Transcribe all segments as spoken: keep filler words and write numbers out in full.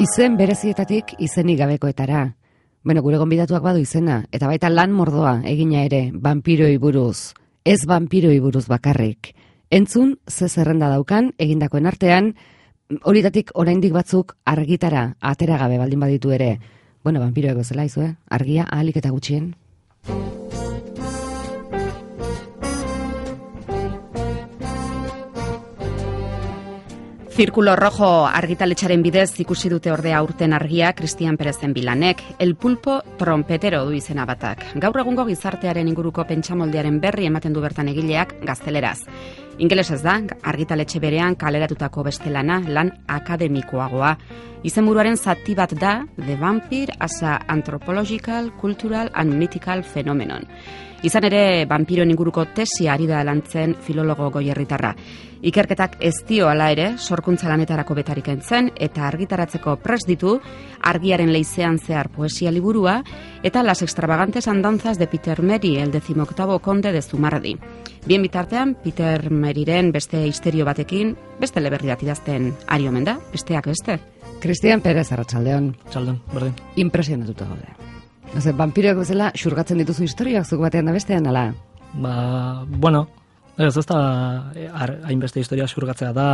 Izen berezietatik izenik gabekoetara. Bueno, gure gonbidatuak badu izena, eta baita lan mordoa egina ere, vampiroi buruz. Ez vampiroi buruz bakarrik. Entzun, ze zerrenda daukan, egindakoen artean, horietatik oraindik batzuk argitara, atera gabe baldin baditu ere. Bueno, vampiroek bezala izue, argia ahalik eta gutxien. Zirkulo Rojo argitaletxaren bidez ikusi dute ordea aurten argia Cristian Perezen bilanek, El Pulpo trompetero du izena batak. Gaur egungo gizartearen inguruko pentsamoldearen berri ematen du bertan egileak gazteleraz. Ingelesez da, argitaletxe berean kaleratutako beste lana, lan akademikoagoa. Izenburuaren zati bat da, The Vampire as a Anthropological, Cultural and Mythical Phenomenon. Izan ere, vampiroen inguruko tesia ari da lantzen filologo goierritarra. Ikerketak ez dio hala ere, sorkuntza lanetarako betarik entzen, eta argitaratzeko prest ditu, argiaren leizean zehar poesia liburua, eta Las extravagantes andanzas de Peter Meri, el decimoctavo conde de Zumardi. Bien bitartean, Peter Meriren beste histerio batekin, beste leberri bat idazten ari omen da, besteak beste. Cristian Perez, arratsaldeon. Txaldeon, berdin. Impresionatuta gaude. Oze, vampiroek bezala xurgatzen dituzu historiak zuk batean da bestean, ala? Ba, bueno, ez ez da hainbeste historia xurgatzea da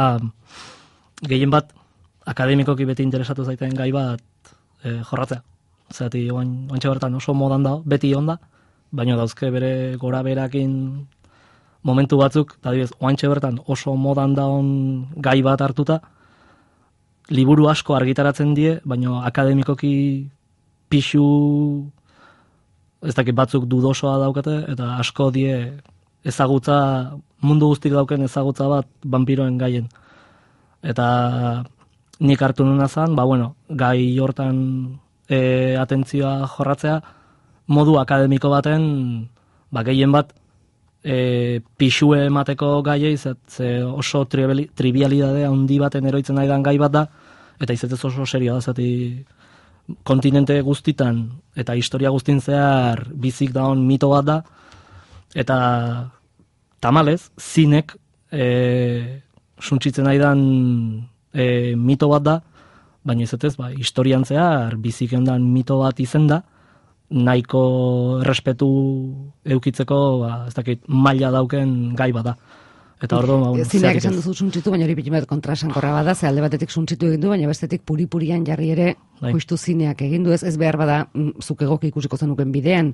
gehien bat akademikoki beti interesatu zaiten gai bat e, jorratzea. Zerati, oantxe bertan oso modan da, beti onda, baina dauzke bere gora berakin momentu batzuk, eta dibez, oantxe bertan oso modan da on gai bat hartuta, liburu asko argitaratzen die, baina akademikoki pixu, ez dakit batzuk dudosoa daukate, eta asko die ezagutza, mundu guztik dauken ezagutza bat vampiroen gaien. Eta nik hartu nuna zan, ba bueno, gai hortan e, atentzioa jorratzea, modu akademiko baten, ba gehien bat, e, pixue emateko gaiei, ze, ze oso trivialidade handi baten eroitzen nahi dan gai bat da, eta izetez oso serioa da, zati kontinente guztitan eta historia guztin zehar bizik daun mito bat da, eta tamalez, zinek e, suntsitzen nahi dan e, mito bat da, baina izetez, ba, historian zehar bizik ondan mito bat izen da, nahiko errespetu eukitzeko, ba, ez dakit, maila dauken gai bat da. Eta ordo, ba, bueno, zineak esan duzu suntsitu, baina hori pitin bat kontrasankorra bada, ze alde batetik suntsitu egin du, baina bestetik puri-purian jarri ere bai. Justu zineak egin du, ez, ez behar bada zuk egoki ikusiko zenuken bidean.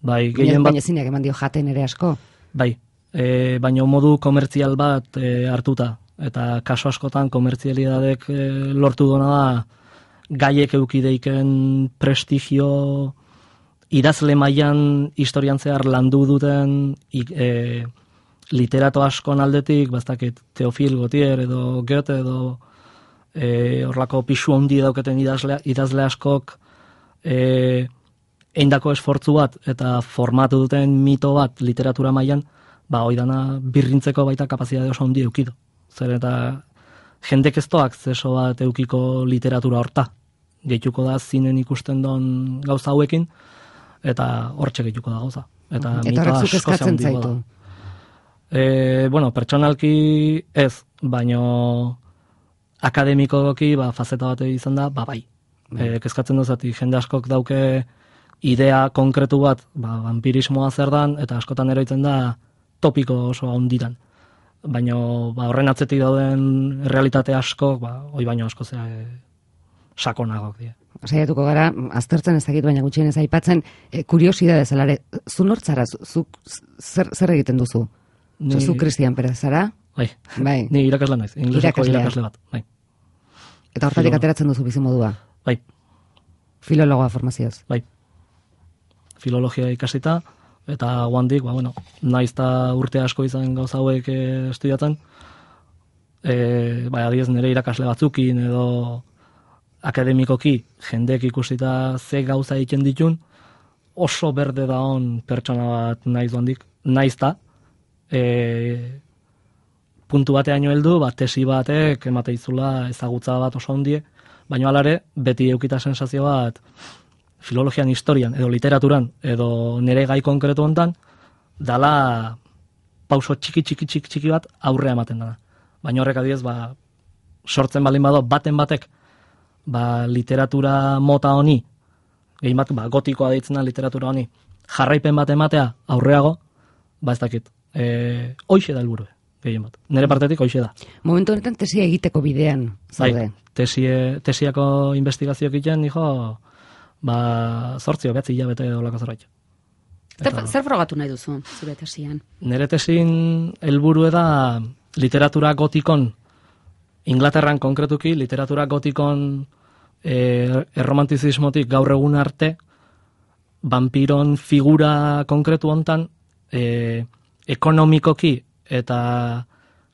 Bai, gehien bat... Baina zineak eman dio jaten ere asko. Bai, e, baina modu komertzial bat e, hartuta, eta kaso askotan komertzialidadek e, lortu dona da gaiek eukideiken prestigio idazle mailan historian zehar landu duten e, literato askon aldetik, bastakit Teofil Gautier edo Goethe edo e, orlako pixu handi dauketen idazle, idazle askok e, eindako esfortzu bat eta formatu duten mito bat literatura mailan, ba oidana birrintzeko baita kapazitate oso handi eukido. Zer eta jendek eztoak zeso bat eukiko literatura horta. Gehituko da zinen ikusten don gauza hauekin, eta hortxe gehituko da gauza. Eta eta horrek zuk eskatzen zaitu. E, bueno, pertsonalki ez, baino akademikoki ba, fazeta bat izan da, ba bai. E, kezkatzen duzati, jende askok dauke idea konkretu bat, ba, vampirismoa zer dan, eta askotan eroitzen da topiko oso handitan. Baina ba, horren atzetik dauden realitate askok, ba, oi baino asko zea e, sakonagok dira. Saiatuko gara, aztertzen ez dakit, baina gutxien ez aipatzen, e, kuriosidade zelare, zu nortzara, zuk zer, zer egiten duzu? Ni... Zu Cristian Perez, zara? Bai, bai. Ni irakasle naiz, ingleseko irakasle bat. Bai. Eta hortatik ateratzen duzu bizimodua? Bai. Filologoa formazioz? Bai. Filologia ikasita, eta guandik, ba, bueno, naiz eta urte asko izan gauza hauek e, estudiatzen, e, bai, adiez nire irakasle batzukin edo akademikoki jendek ikusita ze gauza egiten ditun, oso berde da on pertsona bat naiz guandik, naiz ta, E, puntu bateaino heldu, bat tesi batek emateizula ezagutza bat oso handie, baina alare beti eukita sensazio bat filologian, historian edo literaturan edo nire gai konkretu hontan dala pauso txiki txiki txiki txiki bat aurrea ematen dana. Baina horrek adiez, ba, sortzen balin bado baten batek ba, literatura mota honi, gehi bat, ba, gotikoa deitzen da literatura honi, jarraipen bat ematea aurreago, ba ez dakit, e, hoixe da helburu, gehien bat. Nire partetik hoixe da. Momentu honetan tesia egiteko bidean, zaude. Bai, tesie, tesiako investigazioak egiten, nijo, ba, zortzio, betzi hilabete olako zerbait. Zer, zer frogatu nahi duzu, zure tesian? Nire tesin helburu da literatura gotikon, Inglaterran konkretuki, literatura gotikon e, erromantizismotik gaur egun arte, vampiron figura konkretu hontan, e, ekonomikoki eta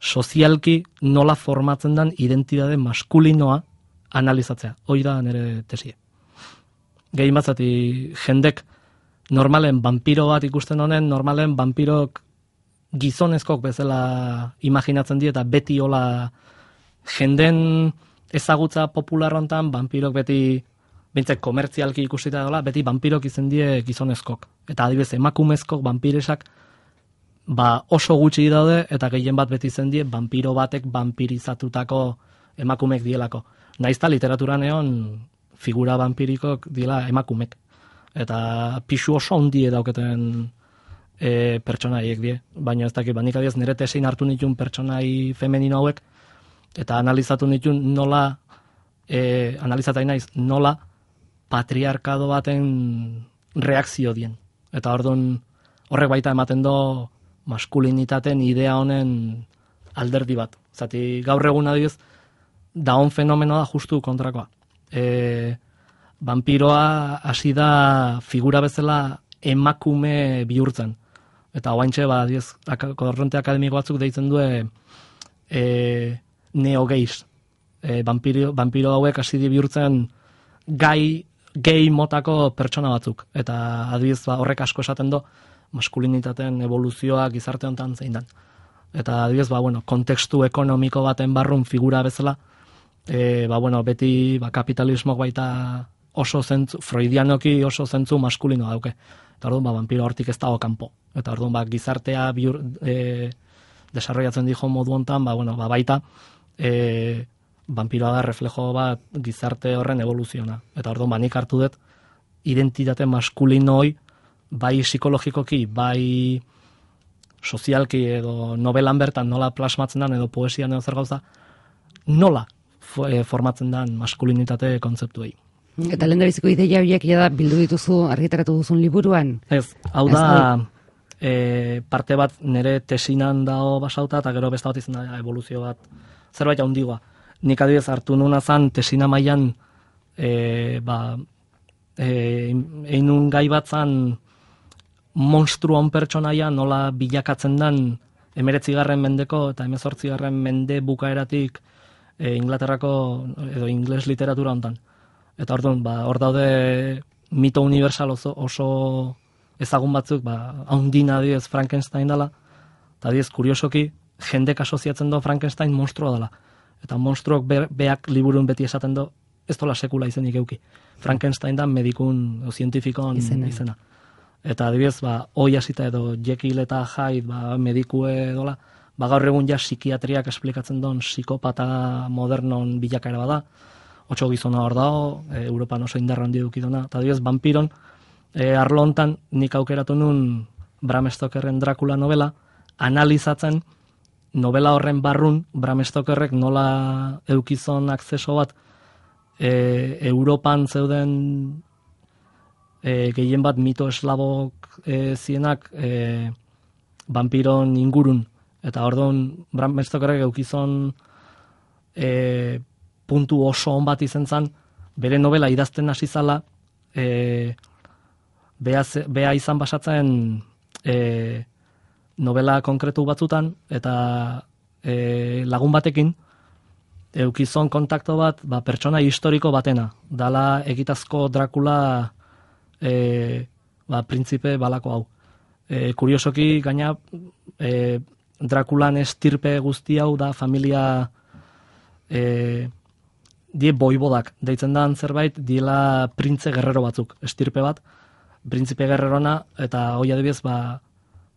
sozialki nola formatzen den identitate maskulinoa analizatzea. Hoi da nire tesie. Gehien batzati jendek normalen vampiro bat ikusten honen, normalen vampirok gizonezkok bezala imaginatzen die eta beti hola jenden ezagutza popular hontan vampirok beti bintzek komertzialki ikusita dola, beti vampirok izen die gizonezkok. Eta adibidez emakumezkok vampiresak ba oso gutxi daude eta gehien bat beti izen die vampiro batek vampirizatutako emakumek dielako. Naizta literaturan egon figura vampirikok diela emakumek. Eta pixu oso handie dauketen e, pertsonaiek die. Baina ez dakit, banik adiez nire tesein hartu nituen pertsonai femenino hauek, eta analizatu nituen nola, e, analizatai naiz, nola patriarkado baten reakzio dien. Eta orduan horrek baita ematen do maskulinitaten idea honen alderdi bat. Zati gaur egun adiez, daon fenomenoa da justu kontrakoa. E, vampiroa hasi da figura bezala emakume bihurtzen. Eta oaintxe, ba, adiez, korronte akademiko batzuk deitzen du e, neogeiz. E, vampiro, vampiro hauek hasi di bihurtzen gai, gei motako pertsona batzuk. Eta adiez, ba, horrek asko esaten do maskulinitateen evoluzioa gizarte honetan zein dan. Eta adiez, ba, bueno, kontekstu ekonomiko baten barrun figura bezala, e, ba, bueno, beti ba, kapitalismok baita oso zentzu, freudianoki oso zentzu maskulino dauke. Eta orduan, ba, vampiro hortik ez dago kanpo. Eta orduan, ba, gizartea biur, e, desarrollatzen dijo modu hontan, ba, bueno, ba, baita e, vampiroa da reflejo bat gizarte horren evoluziona. Eta orduan, ba, nik hartu dut identitate maskulinoi, bai psikologikoki, bai sozialki edo novelan bertan nola plasmatzen den edo poesian edo zer gauza, nola formatzen den maskulinitate kontzeptuei. Eta lehen da biziko ideia horiek ja bildu dituzu, argitaratu duzun liburuan? Ez, hau da e, parte bat nire tesinan dago basauta eta gero beste bat izan da evoluzio bat zerbait handigoa. Nik adibidez hartu nuna zan tesina mailan e, ba, e, einun gai bat zan monstruon pertsonaia nola bilakatzen den emeretzigarren mendeko eta emezortzigarren mende bukaeratik e, Inglaterrako edo ingles literatura hontan. Eta orduan, ba, hor daude mito universal oso, oso ezagun batzuk, ba, haundina diez Frankenstein dela, eta diez kuriosoki jendek asoziatzen do Frankenstein monstrua dela. Eta monstruok be, beak liburun beti esaten do, ez dola sekula izenik euki. Frankenstein da medikun o zientifikon izena. izena. Eta adibidez, ba, hoi hasita edo Jekyll eta Hyde ba, medikue dola, ba, gaur egun ja psikiatriak esplikatzen don psikopata modernon bilakaera bada, otxo gizona hor dago, e, Europan oso indarra handi dukidona, eta adibidez, vampiron, e, arlo hontan nik aukeratu nun Bram Stokerren Dracula novela, analizatzen novela horren barrun Bram Stokerrek nola eukizon akzeso bat e, Europan zeuden e, gehien bat mito eslabok e, zienak e, vampiron ingurun. Eta orduan Bram Stokerrek eukizon e, puntu oso on bat izen zan, bere novela idazten hasi zala, e, bea, bea izan basatzen e, novela konkretu batzutan, eta e, lagun batekin, eukizon kontakto bat, ba, pertsona historiko batena. Dala egitazko Dracula e, ba, printzipe balako hau. E, kuriosoki, gaina, e, Draculan estirpe guzti hau da familia e, die boibodak, deitzen dan zerbait, diela printze gerrero batzuk, estirpe bat, printzipe gerrerona, eta hoi adibidez, ba,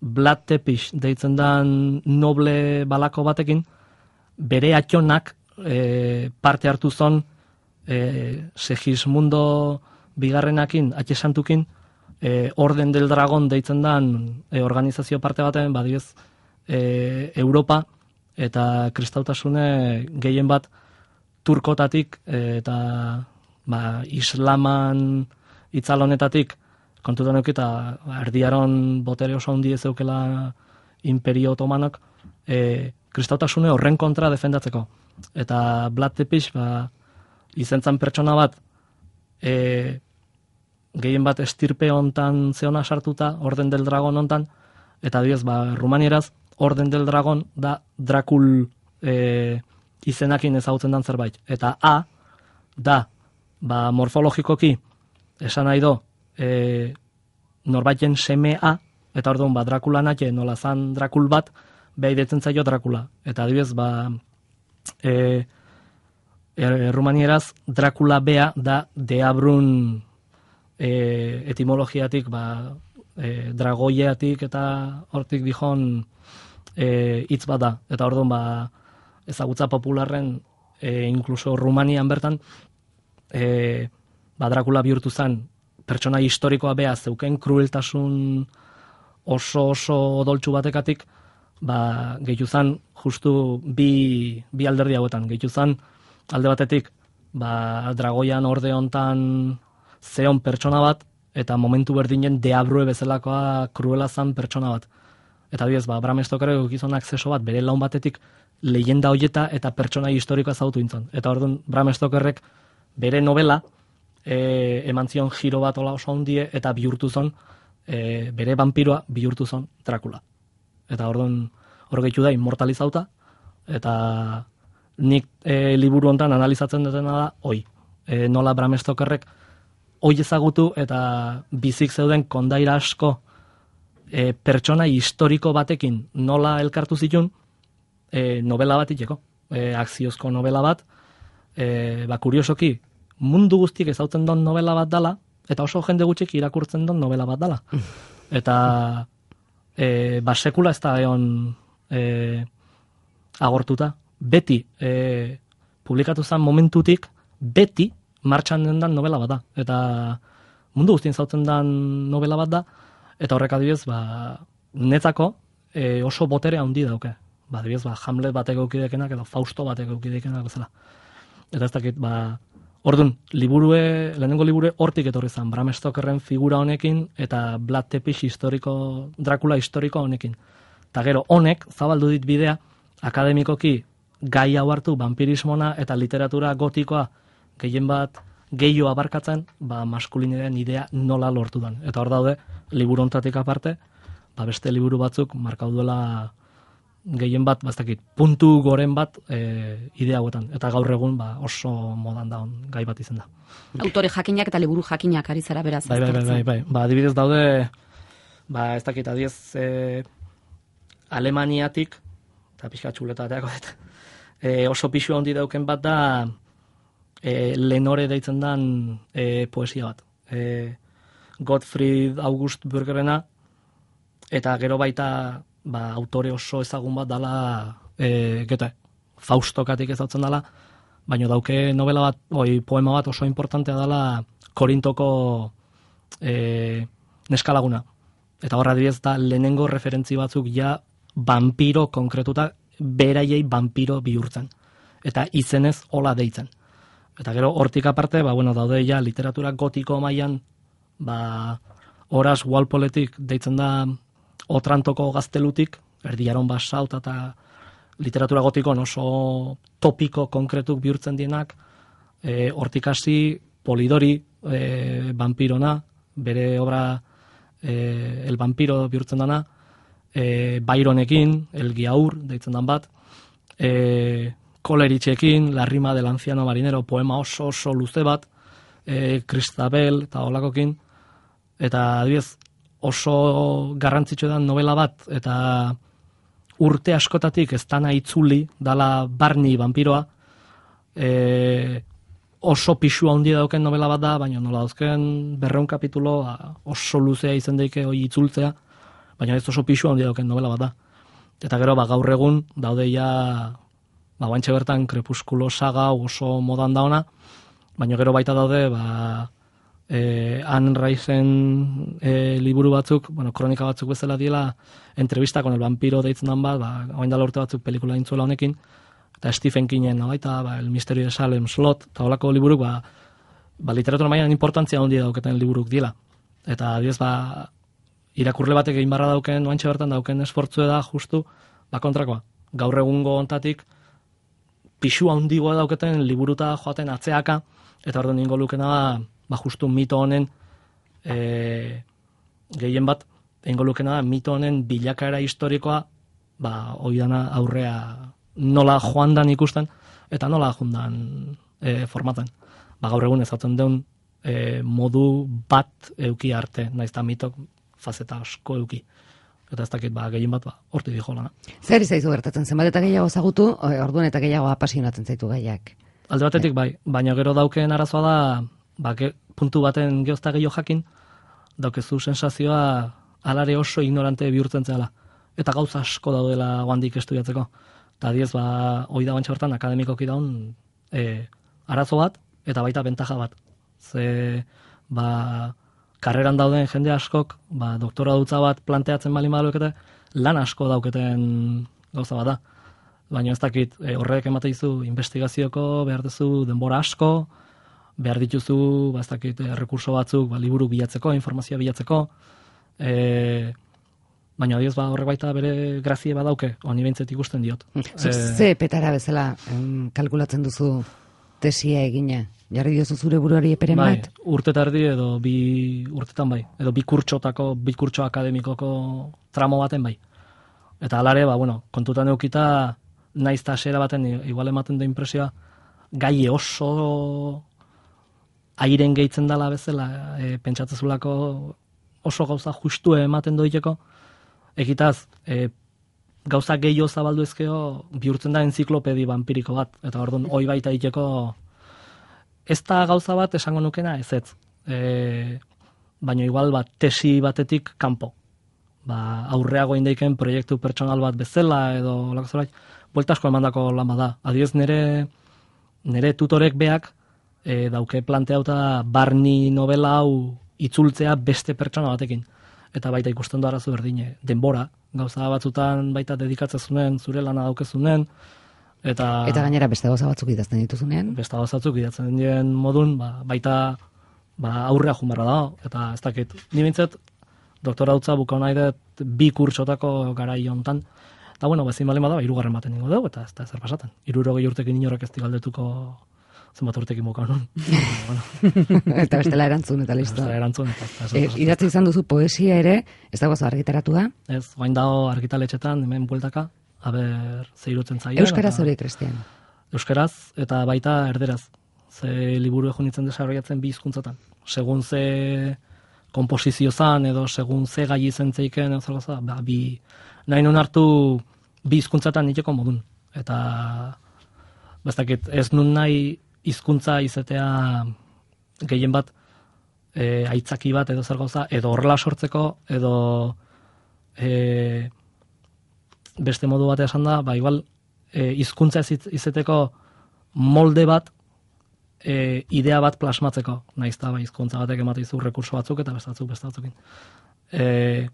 Vlad Tepes deitzen dan noble balako batekin, bere atxonak e, parte hartu zon e, Segismundo bigarrenakin, atxesantukin, e, Orden del Dragon deitzen dan e, organizazio parte baten, badiez, e, Europa eta kristautasune gehien bat turkotatik e, eta ba, islaman itzalonetatik kontutan eukita erdiaron botere oso handi ez eukela imperio otomanok e, kristautasune horren kontra defendatzeko. Eta Vlad Tepes ba, izentzan pertsona bat e, gehien bat estirpe hontan zeona sartuta, Orden del Dragon hontan, eta adibidez, ba, rumanieraz, Orden del Dragon da Drakul e, izenakin ezagutzen dan zerbait. Eta A da ba, morfologikoki esan nahi do e, norbaiten seme A, eta orduan ba, Drakula natxe nola zan Drakul bat, beha idetzen zaio Drakula. Eta adibidez, ba, e, e, rumanieraz Drakula bea da Deabrun e, etimologiatik, ba, e, dragoiatik eta hortik dijon e, hitz bat da. Eta orduan ba, ezagutza popularren e, inkluso Rumanian bertan e, ba, Drakula bihurtu zen pertsona historikoa bea zeuken krueltasun oso oso odoltsu batekatik, ba, gehitu zen justu bi, bi alderdi hauetan. Gehitu zen alde batetik ba, dragoian orde hontan zeon pertsona bat, eta momentu berdinen Deabrue bezalakoa kruela zan pertsona bat. Eta bidez, ba, Bram Stokerrek ukizon akzeso bat bere laun batetik leyenda hoieta eta pertsona historikoa zautu intzon. Eta orduan Bram Stokerrek bere novela e, eman zion giro bat ola oso handie eta bihurtu zon, e, bere vampiroa bihurtu zon Drakula. Eta orduan hor gehitu da immortalizauta, eta nik e, liburu hontan analizatzen dutena da, oi, e, nola Bram Stokerrek oi ezagutu eta bizik zeuden kondaira asko e, pertsona historiko batekin nola elkartu zitun e, novela bat iteko, e, akziozko novela bat, e, ba, kuriosoki, mundu guztiek ezautzen don novela bat dala, eta oso jende gutxik irakurtzen don novela bat dala. Eta e, ba, sekula ez da egon e, agortuta. Beti e, publikatu zen momentutik, beti martxan den dan novela bat da. Eta mundu guztien zautzen den novela bat da, eta horrek adibidez, ba, netzako e, oso botere handi dauke. Ba, adibidez, ba, Hamlet batek eukidekenak edo Fausto batek eukidekenak bezala. Eta ez dakit, ba, orduan, liburue, lehenengo liburu hortik etorri zen, Bram Stokerren figura honekin, eta Vlad Tepes historiko, Drakula historiko honekin. Eta gero, honek, zabaldu dit bidea, akademikoki gai hau hartu, vampirismona eta literatura gotikoa gehien bat gehio abarkatzen, ba, maskulinearen idea nola lortu dan. Eta hor daude, liburu hontatik aparte, ba, beste liburu batzuk markau duela gehien bat, baztakit, puntu goren bat e, idea hauetan. Eta gaur egun ba, oso modan daun gai bat izan da. Autore jakinak eta liburu jakinak ari zara beraz. Bai, bai, bai, bai, bai. Ba, adibidez daude, ba, ez dakit, adiez, e, Alemaniatik, eta pixka txuletateako, e, oso pixu handi dauken bat da, e, Lenore deitzen dan e, poesia bat. E, Gottfried August Bürgerrena, eta gero baita ba, autore oso ezagun bat dala, e, gete, Faustokatik ezautzen dala, baina dauke novela bat, oi, poema bat oso importantea dala Korintoko e, neskalaguna. Eta horra adibidez da lehenengo referentzi batzuk ja vampiro konkretuta beraiei vampiro bihurtzen. Eta izenez hola deitzen. Eta gero hortik aparte, ba, bueno, daude ja literatura gotiko mailan, ba, Horace Walpoletik deitzen da Otrantoko gaztelutik, erdiaron basaut eta literatura gotikon oso topiko konkretuk bihurtzen dienak, e, hortik hasi Polidori e, vampirona, bere obra e, El vampiro bihurtzen dana, e, Byronekin, El Giaur deitzen dan bat, e, Coleridgeekin, La rima del anciano marinero, poema oso oso luze bat, e, Christabel eta holakokin, eta adibidez oso garrantzitsu da novela bat, eta urte askotatik ez dana itzuli, dala Barney vampiroa, e, oso pixua handi dauken novela bat da, baina nola dauzken berreun kapitulo oso luzea izan daike hori itzultzea, baina ez oso pixua handi dauken novela bat da. Eta gero, ba, gaur egun, daude ja, ba, bantxe bertan Crepúsculo saga oso modan da ona, baina gero baita daude, ba, e, Anne Rice-en e, liburu batzuk, bueno, kronika batzuk bezala diela, entrevista con el vampiro deitzen dan bat, ba, oain dala urte batzuk pelikula intzuela honekin, eta Stephen Kingen, no, baita, ba, El misterio de Salem Slot, eta holako liburuk, ba, ba, literatura mailan importantzia handia dauketen liburuk dira. Eta, adiez, ba, irakurle batek egin barra dauken, oantxe bertan dauken esfortzue da, justu, ba, kontrakoa. Gaur egungo ontatik, pixu handigoa dauketen liburuta joaten atzeaka, eta orduan ningo lukena da, ba, justu mito honen, e, gehien bat, eingo lukena da, mito honen bilakaera historikoa, ba, oidana aurrea nola joan dan ikusten, eta nola jundan e, formaten. Ba, gaur egun ezatzen deun e, modu bat euki arte, naizta mitok fazeta asko euki. Eta ez dakit, ba, gehien bat, ba, horti dijo lana. Zer izaizu gertatzen, zenbat eta gehiago zagutu, orduan eta gehiago apasionatzen zaitu gaiak. Alde batetik, bai, baina gero dauken arazoa da, ba, ge, puntu baten geozta gehiago jakin, daukezu sensazioa alare oso ignorante bihurtzen zela. Eta gauza asko daudela guandik estudiatzeko. Eta diez, ba, hoi da bantxe bertan, akademikoki daun, e, arazo bat, eta baita bentaja bat. Ze, ba, karreran dauden jende askok, ba, doktora dutza bat planteatzen balin badalukete, lan asko dauketen gauza bat da. Baina ez dakit, e, horrek emate izu investigazioko, behar duzu denbora asko, behar dituzu, ba, ez dakit, e, rekurso batzuk, ba, liburu bilatzeko, informazioa bilatzeko, e, baina adioz, ba, horrek baita bere grazie badauke, honi behintzet ikusten diot. Zuk ze petara bezala em, kalkulatzen duzu tesia egina? Jarri diozu zure buruari eperen bai, bat? Urte tardi edo bi urtetan bai, edo bi kurtsotako, bi kurtso akademikoko tramo baten bai. Eta alare, ba, bueno, kontutan eukita, naiz ta hasiera baten igual ematen da impresioa, gai oso airen gehitzen dela bezala, e, pentsatzezulako oso gauza justue ematen doiteko, ekitaz, e, gauza gehiago zabaldu ezkeo, bihurtzen da enziklopedi vampiriko bat, eta orduan hoi baita iteko, ez da gauza bat esango nukena ez ez, e, baina igual bat tesi batetik kanpo. Ba, aurreago indeiken proiektu pertsonal bat bezala edo lako zerbait, buelta asko emandako lan bada. Adiez nire, nire tutorek beak e, dauke planteauta barni novela hau itzultzea beste pertsona batekin. Eta baita ikusten du arazo berdine, denbora, gauza batzutan baita dedikatzezunen, zure lana daukezunen, eta... Eta gainera beste gauza batzuk idazten dituzunean? Beste gauza batzuk idazten dien modun, ba, baita ba, aurrea jumarra da, eta ez dakit, ni bintzet, doktora dutza buka nahi dut bi kurtsotako garai hontan. Eta bueno, bezin balen bada, hirugarren baten ningo dugu, eta ez da zer pasaten. Hirurogei urtekin inorek ez digaldetuko zenbat urtekin buka nun. bueno. Eta bestela erantzun, eta listo. Bestela erantzun, eta ez e, idatzi izan duzu poesia ere, ez dago argitaratua? Ez, guain dago argitaletxetan, hemen bueltaka, aber zeirutzen zaien. Euskaraz hori, Cristian? Euskaraz, eta baita erderaz. Ze liburu egun itzen desarroiatzen bi hizkuntzatan. Segun ze komposizio zan, edo segun ze gai izen zeiken, edo ba, bi, nahi nun hartu bi hizkuntzatan niteko modun. Eta, bastakit, ez nun nahi hizkuntza izatea gehien bat e, aitzaki bat edo zer gauza, edo horrela sortzeko, edo e, beste modu batea esan da, ba, igual, e, hizkuntza izeteko molde bat, e, idea bat plasmatzeko, naizta ba, hizkuntza batek emate izu rekurso batzuk eta beste batzuk beste batzukin. E,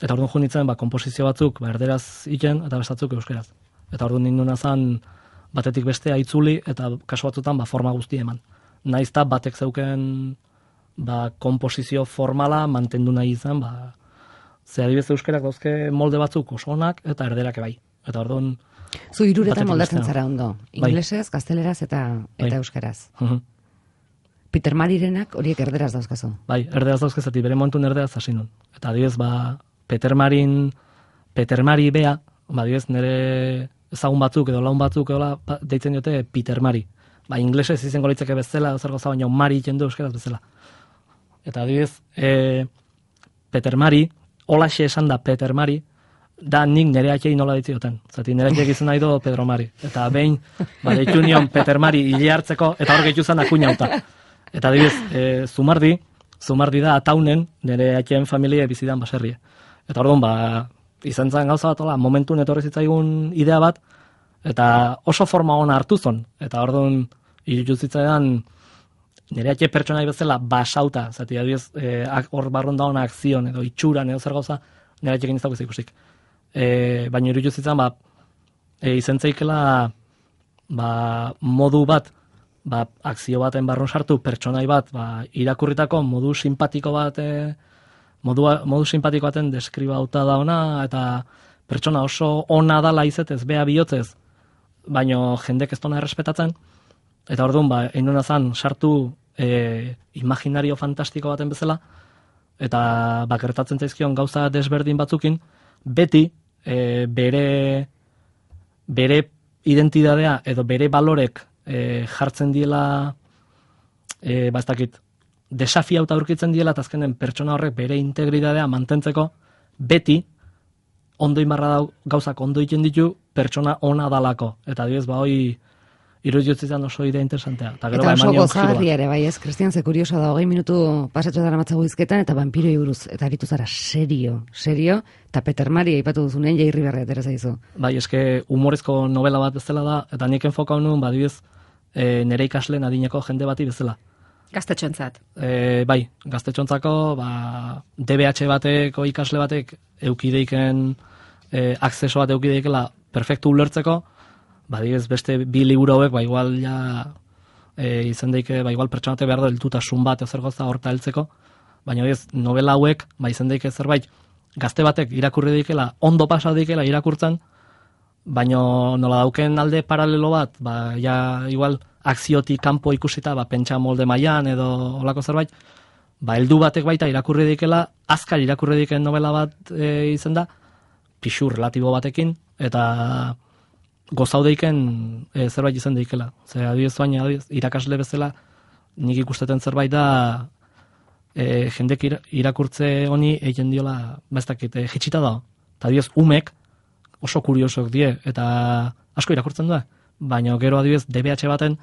eta orduan jo nintzen, ba, komposizio batzuk ba, erderaz iken eta beste batzuk euskeraz. Eta orduan ninduna zan batetik bestea itzuli eta kasu batzutan ba, forma guzti eman. Naizta batek zeuken ba, komposizio formala mantendu nahi izan, ba, ze adibidez euskerak dauzke molde batzuk oso onak eta erderak bai. Eta orduan zu hiruretan moldatzen zara ondo. Inglesez, bai. gazteleraz eta, eta bai. euskaraz. Uh-huh. Peter Marirenak horiek erderaz dauzkazu. Bai, erderaz dauzkazetik, bere momentun erderaz hasi nun. Eta adibidez, ba, Peter Marin, Peter Mari bea, ba, adibidez, nire ezagun batzuk edo laun batzuk edo ba, deitzen diote Peter Mari. Ba, inglesez izango litzake bezala, edo zer gauza, baina Mari jendu euskaraz bezala. Eta adibidez, e, Peter Mari, holaxe esan da Peter Mari, da nik nire atxei nola ditzioten. Zati nire atxeik izan nahi do Pedro Mari. Eta behin, ba, deitu nion Peter Mari hile hartzeko, eta hor gehitu zen akuinauta. Eta adibidez, e, Zumardi, Zumardi da ataunen nire atxeen familia bizidan baserrie. Eta orduan, ba, izan zen gauza bat, ola, momentun etorri zitzaigun idea bat, eta oso forma ona hartu zon. Eta orduan, irutu zitzaidan, nire atxe pertsonai bezala basauta, zati, adibidez, eh, hor barrun dagoen akzion edo itxuran edo zer gauza, nire atxekin ez dago ikusik. E, baina iruditu zitzan, ba, e, izen zeikela ba, modu bat, ba, akzio baten barrun sartu, pertsonai bat, ba, irakurritako modu simpatiko bat, e, modu, modu simpatiko baten deskribauta da ona, eta pertsona oso ona dala izetez, bea bihotzez, baino jendek ez dona errespetatzen, eta orduan, ba, einuna zan, sartu e, imaginario fantastiko baten bezala, eta bakertatzen zaizkion gauza desberdin batzukin, beti e, bere, bere identidadea edo bere balorek e, jartzen diela, e, ba ez dakit, desafiauta aurkitzen diela, eta azkenen pertsona horrek bere integridadea mantentzeko, beti, ondo inbarra dau, gauzak ondo egiten ditu, pertsona ona dalako. Eta diez, ba, hoi, iruditzen oso idea interesantea. Eta, gero, eta ba, oso eman gozagarri ere, bai ez, Kristian, ze kurioso da, hogei minutu pasatxo dara matzago izketan, eta vampiroi buruz, eta aritu zara serio, serio, eta Peter Mari aipatu duzunen jairri berri atera zaizu. Bai, eske humorezko novela bat bezala da, eta nik enfokau nuen, ba, diez, e, nire ikasleen adineko jende bati bezala. Gaztetxontzat. E, bai, gaztetxontzako, ba, D B H bateko ikasle batek eukideiken, e, akzeso bat eukideikela perfektu ulertzeko, ba, digez, beste bi liburu hauek, ba, igual, ja, e, izan daike, ba, igual pertsonate behar da heltutasun bat ezer gauza horta heltzeko, baina, digez, novela hauek, ba, izan daike zerbait, gazte batek irakurri daikela, ondo pasa daikela irakurtzen, baina nola dauken alde paralelo bat, ba, ja, igual, akziotik kanpo ikusita, ba, pentsa molde mailan edo olako zerbait, ba, heldu batek baita irakurri daikela, azkar irakurri daiken novela bat e, izan da, pixu relatibo batekin, eta gozaudeiken e, zerbait izan daikela. Zer, adibidez baina, adibidez, irakasle bezala, nik ikusteten zerbait da, e, jendek irakurtze honi egin diola, baztakit, e, jitsita da. Eta adibidez, umek oso kuriosok die, eta asko irakurtzen du, baina gero adibidez, D B H baten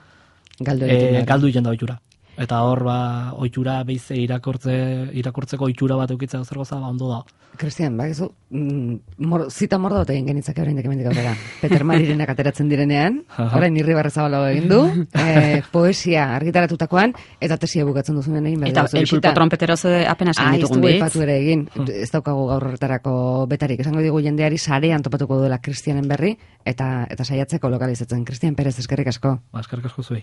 Galdu e, egiten da. galdu egiten da ohitura. Eta hor, ba, ohitura beize irakurtze, irakurtzeko ohitura bat eukitzea zer goza, ba, ondo da. Kristian, ba, ezu, mm, mor, zita mordo bat egin genitzake oraindik hemendik aurrera. Peter Marirenak ateratzen direnean, orain irri barrezabalago egin du, e, poesia argitaratutakoan, eta tesia bukatzen duzunen egin behar. Eta el pulpo trompeteroz apenas egin ditugun bitz. bitz. Aipatu ere egin, ez daukagu gaur horretarako betarik. Esango digu jendeari sarean topatuko duela Kristianen berri, eta eta saiatzeko lokalizatzen. Kristian Perez, eskerrik asko. Ba, eskerrik asko zuei.